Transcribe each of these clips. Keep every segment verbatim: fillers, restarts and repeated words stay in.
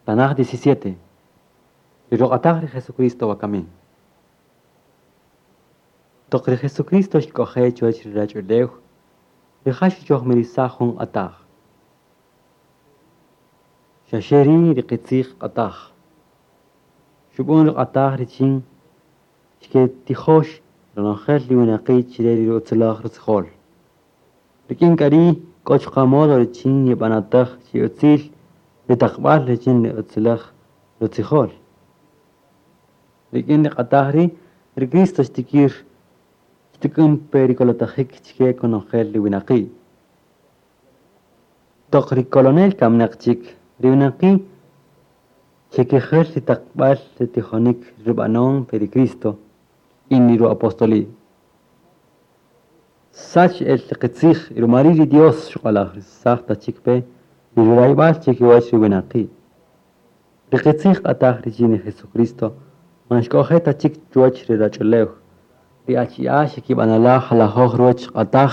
Tanaj diecisiete. Ri ruq'ataj ri Jesucristo wakami. Toq ri Jesucristo xk'oje' chuwäch ri ruwach'ulew, rija' xuchojmirisaj jun q'ataj. Xa xe ri' ri qitzij q'ataj. Xub'än ri q'ataj richin xketijöx ronojel ri winaqi' chi re ri utziläj rutzijol. Rik'in k'a ri' k'o chuqa' modo richin yeb'anatäj chi utzil ri taqb'äl richin ri utziläj rutzijol. Rik'in ri q'ataj ri', ri Cristo xtikïr xtuk'än pe ri kolotajik chike konojel ri winaqi'. Toq ri kolonel kaminäq chik, ri winaqi' xekijäl ri taqb'äl ri tijonik rub'anon pe ri Cristo kik'in ri ruapostoli'. Xsach el ri qitzij y ruma ri' ri Dios xuq'alajrisaj ta chik pe ri rurayb'al chikiwäch ri winaqi'. Ri qitzij q'ataj richin ri Jesucristo man xk'oje' ta chik chuwäch ri ruwach'ulew. Ri achi'a' xekib'anala' jalajöj ruwäch q'ataj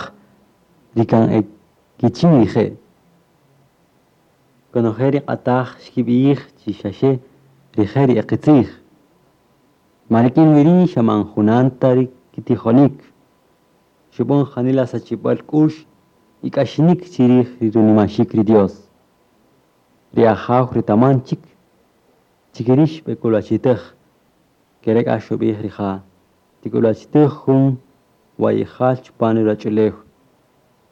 ri kan e kichin rije'. Konojel ri q'ataj xkib'ij chi xa xe rije' ri e qitzij. Ma rik'in wi ri' xa man junan ta ri kitijonik. Xub'än janila sachib'äl k'u'x y k'axinik chi rij ri runimaxik ri Dios. Ri Ajaw retaman chik chi ke ri' xb'ek'ulwachitäj, ke re' k'a xub'ij rija': tik'ulwachitäj jun wayijal chupan ri ruwach'ulew,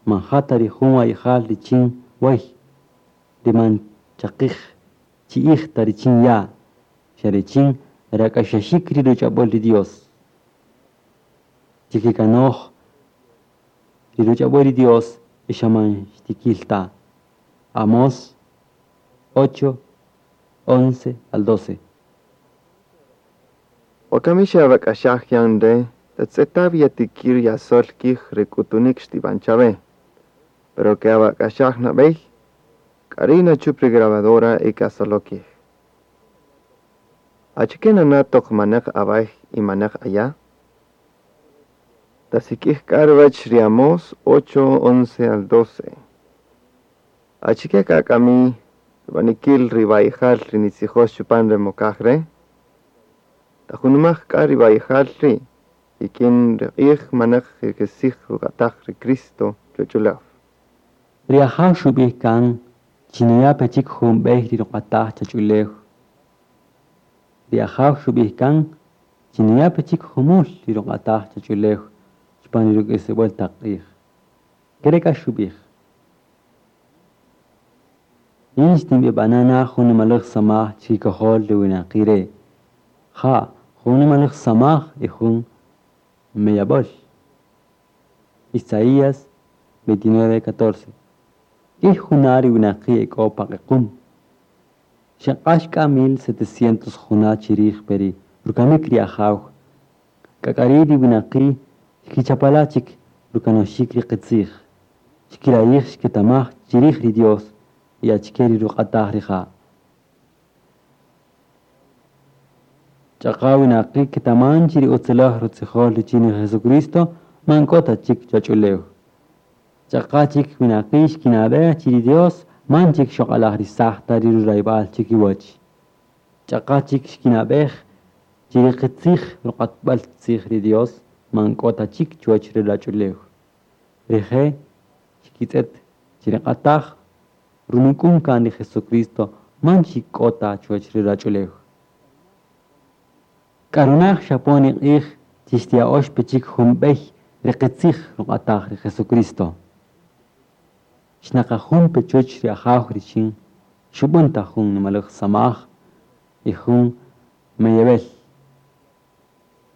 man ja ta ri jun wayijal richin wäy, ri man chaqij chi'ij ta richin ya', xa richin rak'axaxik ri ruch'ab'äl ri Dios. Chikikanoj ri ruch'ab'äl ri Dios y xa man xtikil ta. Amós ocho, once al doce. Wakami xawak'axaj yan re', tatz'eta' wi yatikïr yasöl kij re k'utunïk xtib'an chawe. Pero ke'awak'axaj nab'ey, k'a ri' nachüp ri grabadora y kasolo kij. Achike nana' toq manäq away y manäq aya'? Tasik'ij k'a ruwäch ri Amós ocho, once al doce. Achike k'a kami rub'anikil ri wayijal ri nitzijox chupan re mokaj re'? Tajunumaj k'a ri wayijal ri' kik'in ri q'ij manäq ri qitzij ruq'ataj ri Cristo chuwach'ulew. Ri Ajaw xub'ij kan chi nuya' pe chik jun b'ey ri ruq'ataj chach'ulew. Ri Ajaw xub'ij kan chi nuya' pe chik jumul ri ruq'ataj chach'ulew chupan ri ruk'isib'äl taq q'ij. Ke re' k'a xub'ij: Yin xtinb'eb'ana' na jun nimaläj samaj chikikojol ri winaqi' re'. Ja', jun nimaläj samaj y jun meyab'äl. Isaías veintinueve, catorce. K'ïy juna' ri winaqi' e k'o pa q'equm. Xeq'ax k'a mil setecientos juna' chi rij pe ri rukamik ri Ajaw. K'a k'a ri' ri winaqi' xkichapala' chik rukanoxik ri qitzij. Xkirayij xketamaj chi rij ri Dios y achike ri ruq'ataj rija'. Ch'aqa winaqi' ketaman chi ri utziläj rutzijol richin ri Jesucristo man k'o ta chik chach'ulew. Ch'aqa chik winaqi' xkinab'ej chi ri Dios man chik xoq'alajrisaj ta ri rurayb'al chikiwäch. Ch'aqa chik xkinab'ej chi ri qitzij ruq'atb'äl tzij ri Dios man k'o ta chik chuwäch ri ruwach'ulew. Rije' xkitz'ët chi ri q'ataj runuk'un kan ri Jesucristo man chik k'o ta chuwäch ri ruwach'ulew. K'arunaj xapon ri q'ij chi xtiya'ox pe chik jun b'ey ri qitzij ruq'ataj ri Jesucristo. Xnaqajun pe chuwäch ri Ajaw richin xub'än ta jun nimaläj samaj y jun meyeb'ël.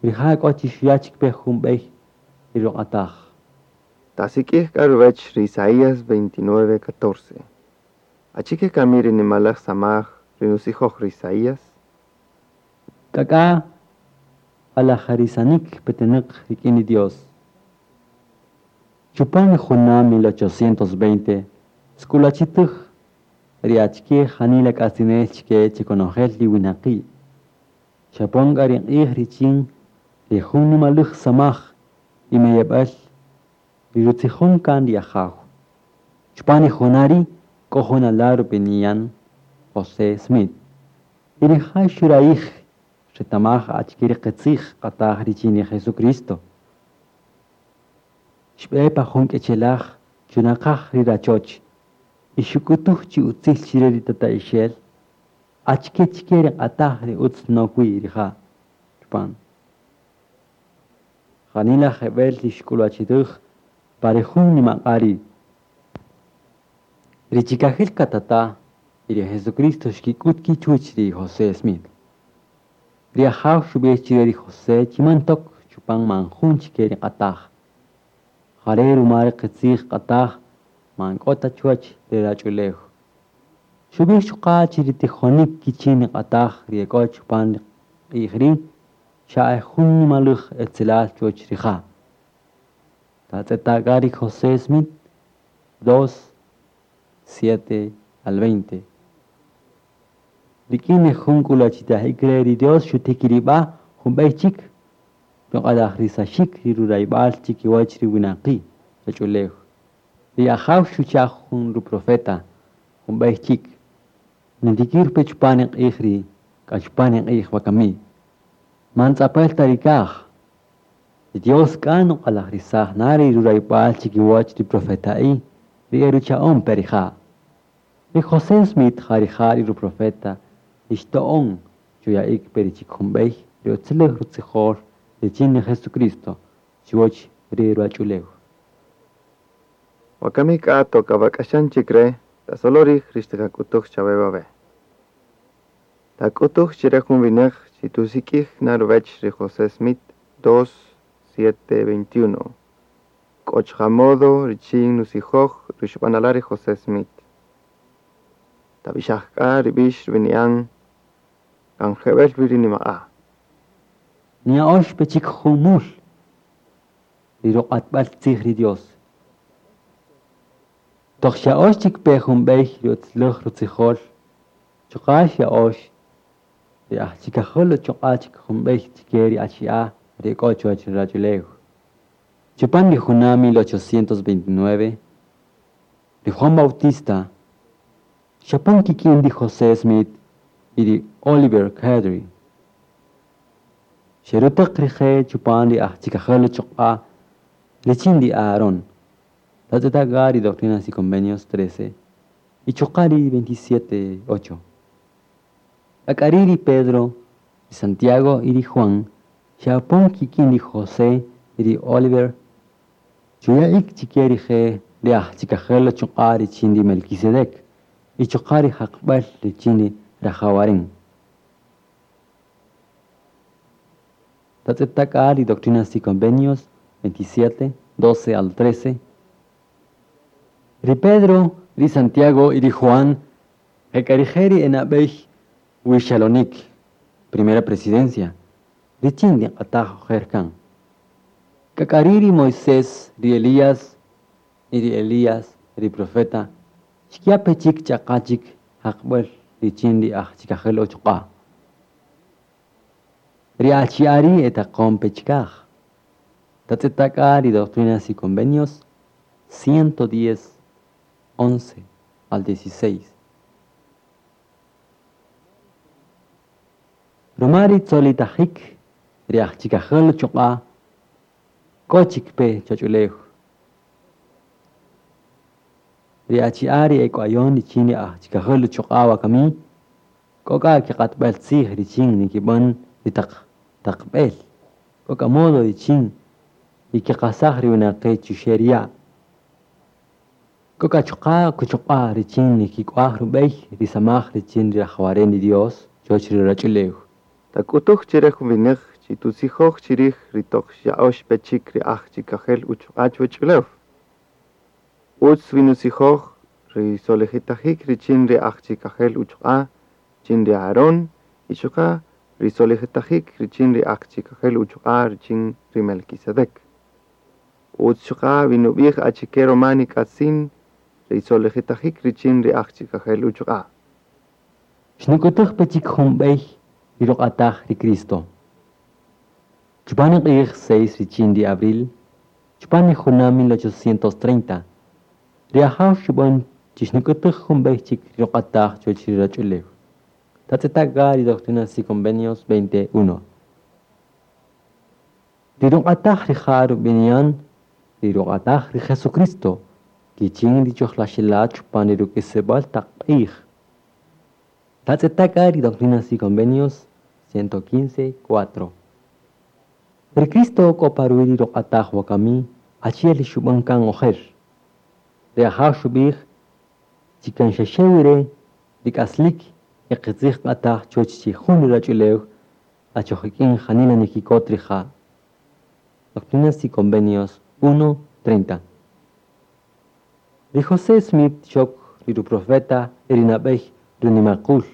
Rija' k'o chi xuya' chik pe jun b'ey ri ruq'ataj. Tasik'ij k'a ruwäch ri Isaías veintinueve, catorce. Achike kami ri nimaläj samaj ri nutzijoj ri Isaías? K'ak'a q'alajarisanik petenäq rik'in ri Dios. Chupan ri juna' mil ochocientos veinte xk'ulwachitäj ri achike janila k'atzinel chike chi konojel ri winaqi'. Xapon k'a ri q'ij richin ri jun nimaläj samaj y meyeb'äl ri rutzijon kan ri Ajaw. Chupan ri juna' ri' k'o jun ala' rub'ini'an José Smith. Y rija' xurayij xretamaj achike ri qitzij q'ataj richin ri Jesucristo. Xb'e pa jun k'echelaj chunaqaj ri rachoch y xuk'utuj chi utzil chire ri tata'ixel achike chike ri q'ataj ri utz nok wi rija' chupan. Janila jeb'el ri xk'ulwachitüj pa ri jun nimaq'a' ri'. Ri chikajil qatata' y ri Jesucristo xkik'ut ki' chuwäch ri José Smith. Ri Ajaw xub'ij chire ri José chi man tok chupan man jun chike ri q'ataj. Jare' ruma ri qitzij q'ataj man k'o ta chuwäch ri ruwach'ulew. Xub'ij chuqa' chi ri tijonik kichin ri q'ataj ri e k'o chupan ri q'ij ri' xa e jun nimaläj etzelal chuwäch rija'. Tatz'eta' k'a ri José Smith dos, siete al veinte. Rik'in ri jun k'ulwachitajik re' ri Dios xutikirib'a' jun b'ey chik ruq'alajrisaxik ri rurayb'al chikiwach ri winaqi' ruwach'ulew. Ri Ajaw xucha' jun ruprofeta jun b'ey chik. Nitikir pe chupan ri q'ij ri k'a chupan ri q'ij wakami. Man tz'apel ta ri kaj. Ri Dios k'a nuq'alajrisaj na ri rurayb'al chikiwach ri profeta'i ri e rucha'on pe rija'. Ri José Smith ja rija' ri ruprofeta ri xto'on chuya'ik pe ri chik jun b'ey ri utziläj rutzijol richin ri Jesucristo chuwäch ri ruwach'ulew. Wakami k'a toq awak'axan chik re', tasolorij ri xtiqak'utuj chawe wawe'. Tak'utuj chire jun winäq chi tusik'ij na ruwäch ri José Smith dos, siete, veintiuno. K'o chuqa' modo richin nutzijoj ri xub'anala' ri José Smith. Tab'ixaj k'a ri b'ix rub'ini'an kan jeb'ël wi ri nimaq'a'. Niya'ox pe chik jumul ri ruq'atb'al tzij ri Dios. Toq xya'ox chik pe jun b'ey ri utziläj rutzijol, chuqa' xya'ox ri ajchikajol uchuq'a' chik jun b'ey chike ri achi'a' ri e k'o chuwäch ri ruwach'ulew. Chupan ri juna' mil ochocientos veintinueve, ri Juan Bautista xapon kik'in ri José Smith y ri Oliver Cowdery. Xerutäq rije' chupan ri ajchikajel uchuq'a' richin ri Aarón. Tatz'eta' k'a ri Doctrinas y Convenios trece y chuqa' ri veintisiete, ocho. K'a ri' ri Pedro, ri Santiago y ri Juan xe'apon kik'in ri José y ri Oliver chuya'ik chike rije' ri ajchikajel uchuq'a' richin ri Melquisedec y chuqa' ri jaqb'äl richin ri rajawaren. Tatz'eta' k'a ri Doctrinas y Convenios veintisiete, doce al trece. Ri Pedro, ri Santiago y ri Juan jek'arije' ri enab'ey wixalonik, primera presidencia, richin ri q'ataj ojer kan. K'ak'ari' ri Moisés, ri Elías y ri Elías, ri profeta, xkiya' pe chik ch'aqa chik jaqb'äl richin ri ajchikajel uchuq'a'. Ri achi'a' ri' etaqon pe chikaj. Tatz'eta' k'a ri Doctrinas y Convenios ciento diez, once al dieciséis. Ruma ri tzolitajik ri ajchikajel uchuq'a' k'o chik pe chuwach'ulew. Ri achi'a' ri e k'wayon richin ri ajchikajel uchuq'a' wakami k'o k'a kiq'atb'al tzij richin nikib'än ri taq taqb'el, k'o k'a modo richin yekiqasaj ri winaqi' chuxe' ri ya'. K'o k'a chuqa' kuchuq'a' richin nikik'uaj rub'ey ri samaj richin ri rajawaren ri Dios chuwäch ri ruwach'ulew. Tak'utuj chire jun winäq chi tutzijoj chirij ri toq xya'ox pe chik ri ajchikajel uchuq'a' chuwach'ulew. Utz wi nutzijoj ri solijitajik richin ri ajchikajel uchuq'a' richin ri Aarón y chuqa' ri solijitajik richin ri ajchikajel uchuq'a' richin ri Melquisedec. Utz chuqa' wi nub'ij achike ruma nik'atzin ri solijitajik richin ri ajchikajel uchuq'a'. Xnuk'utuj pe chik jun b'ey ri ruq'ataj ri Cristo. Chupan ri q'ij seis richin ri abril, chupan ri juna' mil ochocientos treinta, ri Ajaw xub'än chi xnuk'utuj jun b'ey chik ri ruq'ataj chuwäch ri ruwach'ulew. Tatz'etaka ri Doctrinas y Convenios veinte uno. Ri ruq'ataj rija' rub'ini'an ri ruq'ataj ri Jesucristo, kichin ri chojlaxela' chupan ri ruk'isib'äl taq q'ij. Tatz'etaka ri Doctrinas y Convenios ciento quince, cuatro. Ri Cristo k'o pa ruwi' ri ruq'ataj wakami achi'el ri xub'än kan ojer. Ri Ajaw xub'ij chi kan xaxe wi re' ri k'aslik y qitzij q'ataj chuwäch chi jun ri ruwach'ulew achoj ik'in janila nikikot rija'. Doctrinas y Convenios uno, treinta. Ri José Smith xok ri ruprofeta y ri nab'ey runimaqul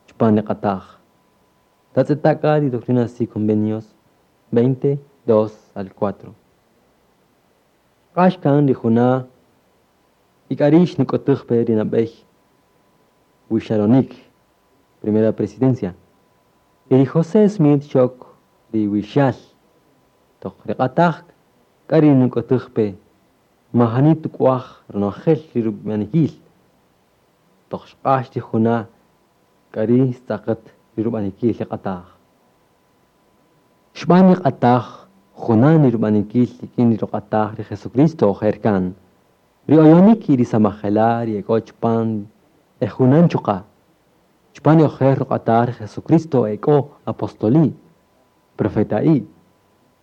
chupan ri q'ataj. Tatz'etaka ri Doctrinas y Convenios veinte, dos al cuatro. Xq'ax kan ri juna' y k'a ri' xnuk'utuj pe ri nab'ey wixaronik, primera presidencia. Y ri José Smith xok ri wixal toq ri q'ataj k'a ri nuk'utuj pe majani tuk'uaj ronojel ri rub'anikil. Toq xq'ax ri juna' k'a ri' xtz'aqet ri rub'anikil ri q'ataj. Xb'an ri q'ataj junan ri rub'anikil rik'in ri ruq'ataj ri Jesucristo ojer kan. Ri oyonik y ri samajela' ri ek'o chupan e junan chuqa'. Chupan ri ojer ruq'ataj ri Jesucristo ek'o apostoli, profeta'i,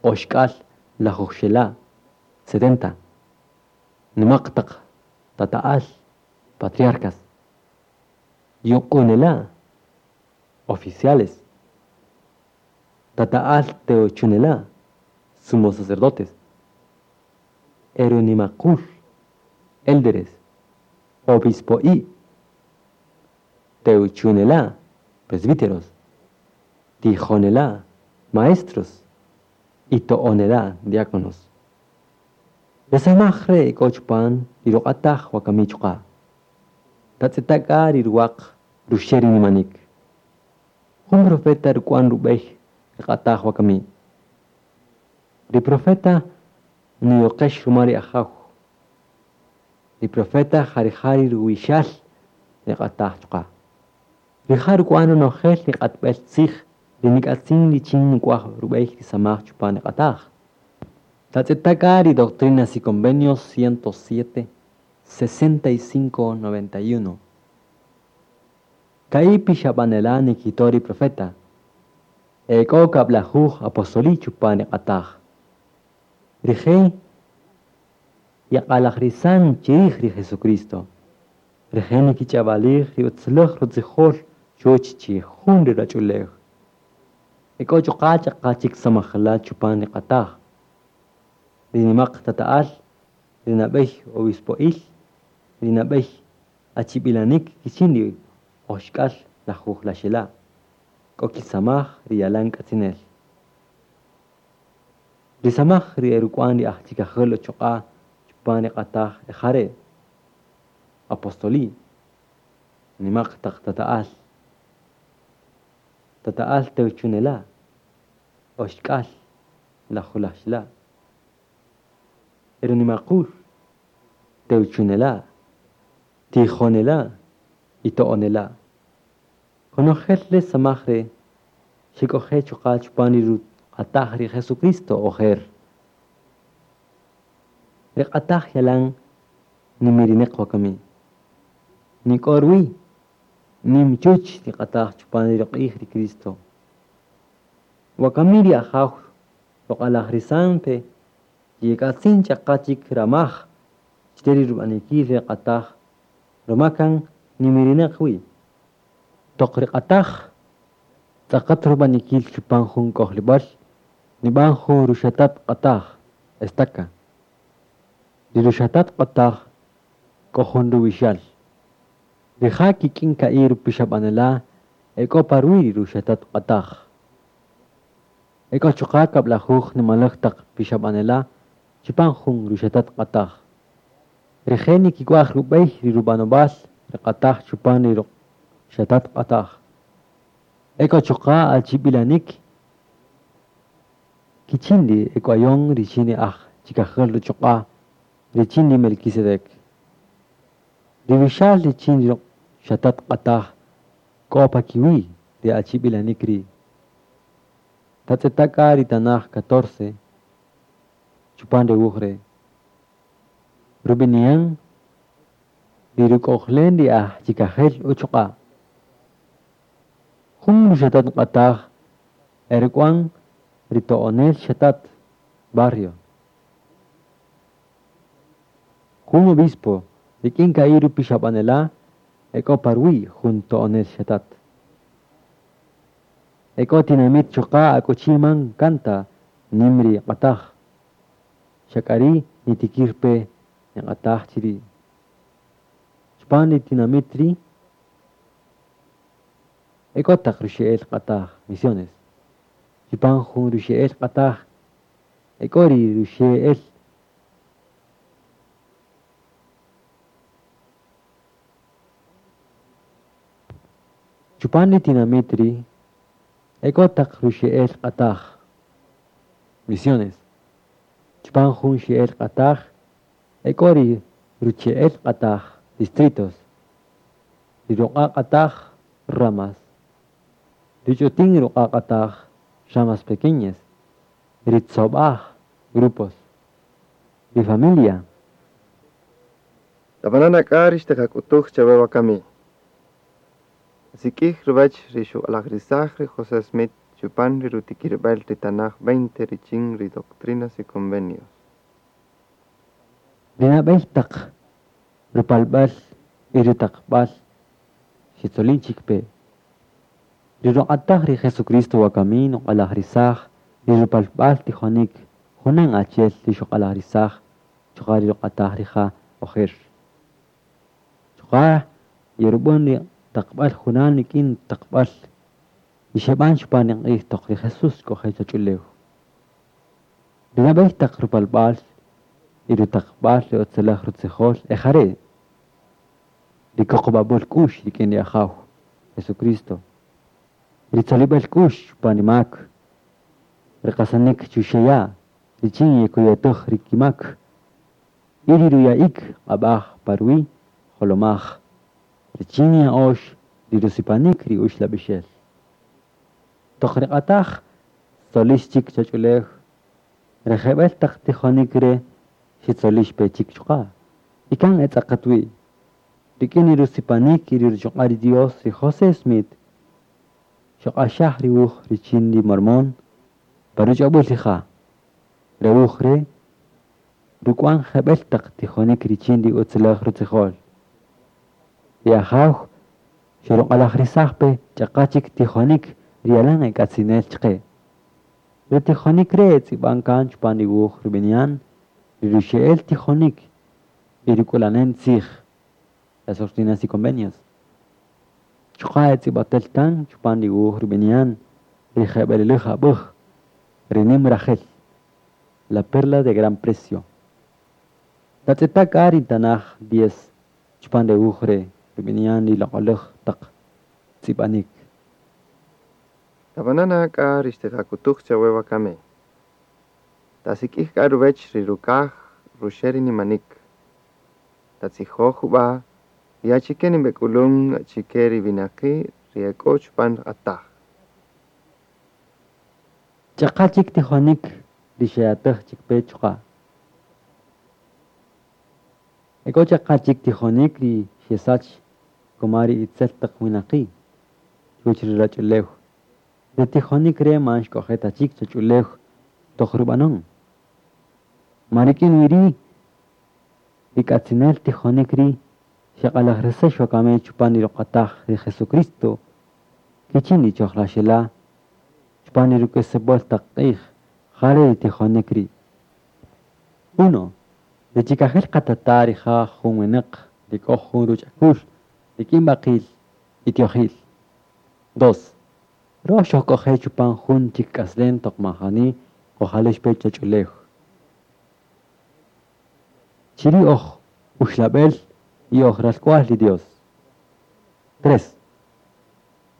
oxk'al lajujxela', setenta. Nimaq taq tata'al, patriarcas. Yuq'unela', oficiales. Tata'al teochunela', sumos sacerdotes. Erunimaqul, élderes, obispo'i, teuchunela', presbíteros, tijonela', maestros, y to'onela', diáconos. Re samaj re' k'o chupan ri ruq'ataj wakami chuqa'. Tatz'etaka ri ruwaq ruxe' ri nimanik. Jun profeta ruk'wan rub'ey ri q'ataj wakami. Ri profeta niyoqex ruma ri Ajaw. Ri profeta jarija' ri ruwixal ri q'ataj chuqa'. Rija' ruk'wan ronojel ri q'atb'el tzij ri nik'atzin richin nuk'waj rub'ey ri samaj chupan ri q'ataj. Tatz'etaka ri Doctrinas y Convenios ciento siete, sesenta y cinco, noventa y uno. Ka'i pixab'anela' nikito ri profeta. Ek'o kab'lajuj apostoli chupan ri q'ataj. Rije' yaq'alajrisan chirij ri Jesucristo. Rije' nikich'ab'alij ri utzulej rutzijol chuwäch chi jun ri ruwach'ulew. Ek'o chuqa' ch'aqa chik samajela' chupan ri q'ataj. Ri nimaq tata'al, ri nab'ey obispo'il, ri nab'ey achib'ilanik kichin ri oxk'al lajuj laxela'. K'o kisamaj ri yalan k'atzinel. Ri samaj ri eruk'wan ri aj chikajäl uchuq'a' chupan ri q'ataj ejare'. Apostoli, nimaq taq tata'al, tata'al teuchunela', oxk'al lajulaxla', erunimaqul, teuchunela', tijonela' y to'onela'. Konojel re samaj re' xek'oje' chuqa' chupan ri ruq'ataj ri Jesucristo ojer. Ri q'ataj yalan nimirineq wakami. Nik'o ruwi' nim chuch ri q'ataj chupan ri ruq'ij ri Cristo. Wakami ri Ajaw ruq'alajrisan pe yek'atzin ch'aqa chik ramaj chire ri rub'anikil ri q'ataj ruma kan nimirineq wi'. Toq ri q'ataj tz'aqat rub'anikil chupan jun k'ojlib'äl nib'an jun ruxatat q'ataj, estaca. Ri ruxatat q'ataj k'o jun ruwixal. Rija' kik'in ka'i' rupixab'anela' ek'o pa ruwi' ri ruxatat q'ataj. Ek'o chuqa' kab'lajuj nimalej taq pixab'anela' chupan jun ruxatat q'ataj. Rije' nikik'uaj rub'ey ri rub'anob'al ri q'ataj chupan ri ruxatat q'ataj. Ek'o chuqa' achib'ilanik kichin ri ek'uayon richin ri aj chikajäl uchuq'a' richin ri Melquisedec. Ri wixal richin ri ruxatat q'ataj k'o pa kiwi' ri achib'ilanïk ri'. Tatz'eta' k'a ri tanaj catorce chupan re wuj re'. Rub'ini'an ri ruk'ojlen ri aj chikajel uchuq'a'. Jun ruxatat q'ataj e ruk'wan ri to'onel xatat barrio. Jun obispo rik'in ka'i' rupixab'anela' e k'o pa ruwi' jun to'onel xatat. E k'o tinamït chuqa' akuchi man kan ta nïm ri q'ataj, xa k'a ri' nitikïr pe niq'ataj chi ri'. Chupan ri tinamït ri' e k'o taq ruxe'el q'ataj misiones. Chupan jun ruxe'el q'ataj e k'o ri ruxe'el Chupan ri tinamït ri' e k'o taq ruxe'el q'ataj misiones. Chupan jun xe'el q'ataj e k'o ri ruche'el q'ataj distritos. Ri ruq'a' q'ataj ramas. Ri ch'utin ruq'a' q'ataj ramas pequeñas. Ri tzob'aj grupos. Ri familia. Tab'ana' k'a ri xtiqak'utuj chawe wakami. Tasik'ij ruwäch ri xuq'alajrisaj ri José Smith chupan ri rutikirb'al ri tanaj veinte richin ri Doctrinas y Convenios. Ri nab'ey taq rupalb'al y rutaqb'al xitzolin chik pe. Ri ruq'ataj ri Jesucristo wakami nuq'alajrisaj ri rupalb'al tijonik junan achi'el ri xuq'alajrisaj chuqa' ri ruq'ataj rija' ojer. Chuqa' yerub'än ri taqb'äl junan rik'in taqb'äl ri xeb'an chupan ri q'ij toq ri Jesús xk'oje' choch'ulew. Ri nab'ey taq rupalb'al y rutaqb'al ri utziläj rutzijol e ja re'. Ri kuqub'ab'äl k'u'x rik'in ri Ajaw Jesucristo. Ri tzolib'äl k'u'x chupan ri mak. Ri qasanik chuxe' ya' richin yekuyutäj ri kimak. Y ri ruya'ik q'ab'aj pa ruwi' jolomaj. Richin ya'ox ri rusipanik ri uxlab'ixel. Toq ri q'ataj xtzolix chik choch'ulew. Ri jeb'ël taq tijonik re' xitzolix pe chik chuqa'. Y kan etz'aqat wi'. Rik'in ri rusipanik y ri ruchuq'a' ri Dios ri José Smith xuq'axaj ri wuj richin ri Mormón pa ruch'ab'äl rija'. Re wuj re' ruk'wan jeb'ël taq tijonik richin ri utziläj rutzijol. Ri Ajaw xuruq'alajrisaj pe ch'aqa chik tijonik ri yalan e k'atzinel chaqe. Ri tijonik re' tz'ib'an kan chupan ri wuj rub'ini'an ri ruxe'el tijonik y ruk'ulanem tzij las doctrinas y convenios. Chuqa' tz'ib'atel kan chupan ri wuj rub'ini'an ri jeb'elilej ab'äj ri nim rajel la perla de gran precio. Tatz'eta' k'a ri tanaj diez chupan re wuj re' rub'ini'an ri loq'oläj taq tz'ib'anik. Tab'ana' k'a ri xtiqak'utuj chawe wakami. Tasik'ij k'a ruwäch ri rukaj ruxe' ri nimanik. Tatzijoj jub'a' ri achike nib'ek'ulun chi ke ri winaqi' ri e k'o chupan q'ataj. Ch'aqa chik tijonik ri xeyatäj chik pe chuqa'. E k'o ch'aqa chik tijonik ri xesach kuma ri itzel taq winaqi' chuwäch ri ruwach'ulew. Ri tijonik re' man xk'oje' ta chik choch'ulew toq rub'anon. Ma rik'in wi ri' ri k'atzinel tijonik ri' xeq'alajrisex wakami chupan ri ruq'ataj ri Jesucristo kichin ri chojlaxela' chupan ri ruk'isib'äl taq q'ij ja re' ri tijonik ri'. Uno. Ri chikajel qatata' rija' jun winäq ri k'o jun ruch'akul rik'in b'aqil y tiojil. Dos. Röj xojk'oje' chupan jun chik k'aslem toq majani qojalex pe choch'ulew. Chi ri' oj uxlab'el y oj ralk'wa'l ri Dios. Tres.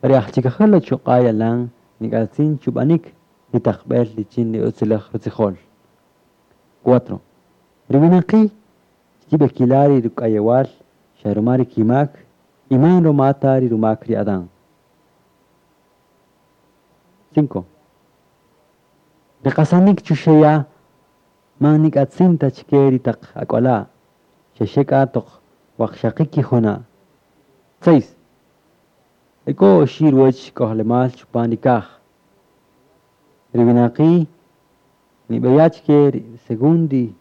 Ri aj chikajel uchuq'a' yalan nik'atzin chub'anik ri taqb'el richin ri utziläj rutzijol. Cuatro. Ri winaqi' xkib'ekila' ri ruk'ayewal xa ruma ri kimak y man ruma ta ri rumak ri Adán. Cinco. Ri qasanik chuxe' ya' man nik'atzin ta chike ri taq ak'wala', xaxe k'a toq waqxaqi' kijuna'. Seis. E k'o oxi' ruwäch k'ojlemal chupan ri kaj. Ri winaqi' nib'eya' chike ri según ri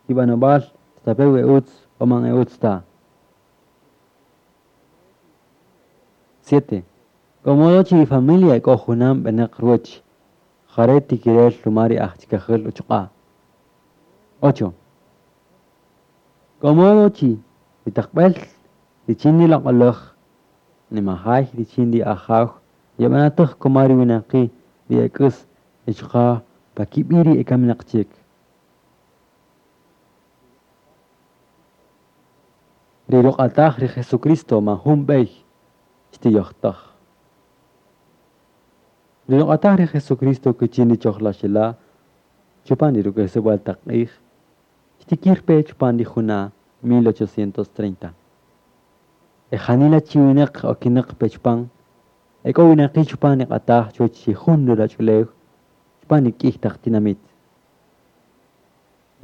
kib'anob'al stape' we utz o man e utz ta. Siete. K'o modo chi ri familia k'o junam b'enäq ruwäch, jare' tikirel ruma ri aj chikajäl uchuq'a'. Ocho. K'o modo chi ri taqb'ël richin ri loq'oläj nimajay richin ri Ajaw yeb'anatäj kuma ri winaqi' ri e k'äs y chuqa' pa kib'i' ri e kaminäq chik. Ri ruq'ataj ri Jesucristo man jun b'ey xtiyojtäj. Ri ruq'ataj ri Jesucristo kichin ri chojlaxela' chupan ri ruk'isib'äl taq q'ij, xtikir pe chupan ri juna' mil ochocientos treinta. E janila chi winäq okinäq pe chupan, e k'o winaqi' chupan ri q'ataj chuwäch chi jun ruwach'ulew chupan ri k'ïy taq tinamït.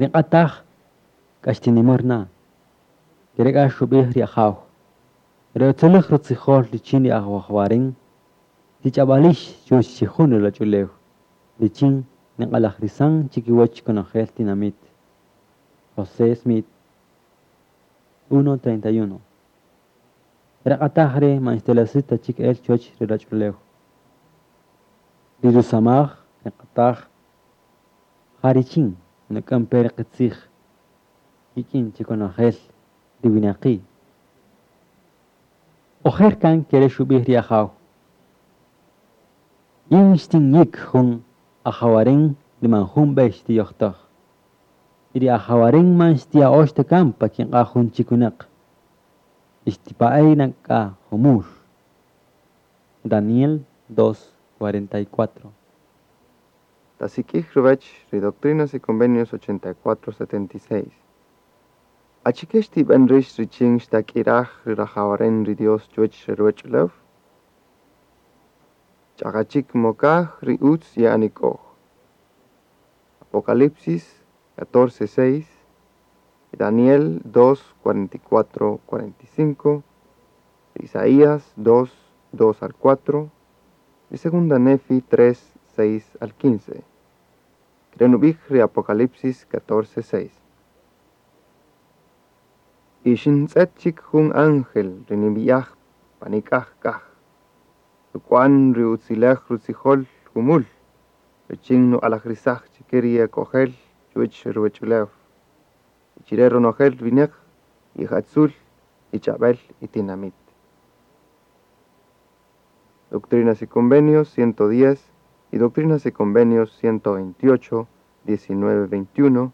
Ri q'ataj k'a xtinimär na, ke re' k'a xub'ij ri Ajaw. Ri utziläj rutzijol richin ri ajwajwaren, tich'ab'alix chuwäch chi jun ruwach'ulew, richin niq'alajrisan chikiwäch konojel tinamït. José Smith, uno treinta y uno. Re q'ataj re' man xtelesaj ta chik el chuwäch ri ruwach'ulew. Ri rusamaj ri q'ataj ja richin nuk'än pe ri qitzij kik'in chi konojel ri winaqi'. Ojer kan ke re' xub'ij ri Ajaw. Yin xtinyïk jun ajawaren ri man jun b'ey xtiyojtäj. Y ri ajawaren man xtiya'ox ta kan pa kiq'a' jun chik winäq. Y xtipa'ey na k'a jumul. Daniel dos cuarenta y cuatro. Tasik'ij ruwäch ri Doctrinas y Convenios ochenta y cuatro setenta y seis. Achike xtib'än rïx richin xtak'iraj ri rajawaren ri Dios chuwäch re ruwach'ulew? Ch'aqa chik mokaj ri utz ye'anik'oj. Apocalipsis catorce seis, Daniel dos cuarenta y cuatro cuarenta y cinco, Isaías dos dos al cuatro, y Segunda Nefi tres seis al quince. Krenubij ri Apocalipsis catorce seis. Y xintz'et chik jun ángel ri nib'iyaj panik'aj kaj, ruk'wan ri utzilej rutzijol jumul, richin nuq'alajrisaj chike ri ek'ojel chuwäch ruwach'ulew, chire ronojel winäq ijatzul, ich'ab'el y tinamit. Doctrinas y Convenios ciento diez y Doctrinas y Convenios ciento veintiocho, diecinueve, veintiuno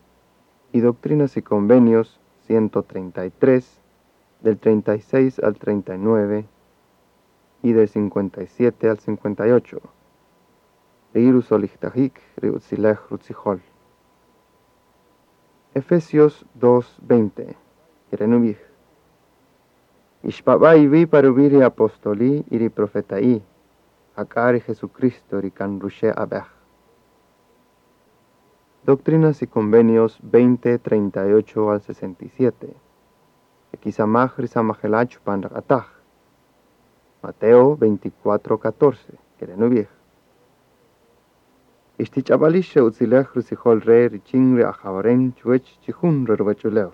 y Doctrinas y Convenios ciento treinta y tres, del treinta y seis al treinta y nueve y del cincuenta y siete al cincuenta y ocho. Ri rusolijtajik ri utzilej rutzijol. Efesios dos veinte, Kerenubij. Ixpab'a iwi paruwi ri apostoli y ri profeta'i, jak'a ri Jesucristo ri kan ruxe' ab'ej. Doctrinas y Convenios veinte, treinta y ocho al sesenta y siete. Ekisamaj ri samajela' chupan raq'ataj. Mateo veinticuatro, catorce, Kerenubij. Ixtich'ab'alix re utzilej rutzijol re richin ri ajawaren chuwech chijun re ruwach'ulew.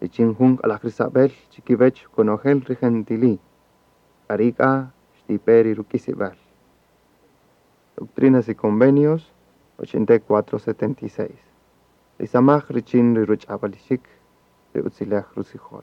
Richin jun q'alajrisab'el chikiwech konojel ri gentili. K'ari k'a xtipe ri ruk'isib'al. Doctrinas y Convenios ochenta y cuatro, setenta y seis. Ri samaj richin ri ruch'ab'alixik ri utzilej rutzijol.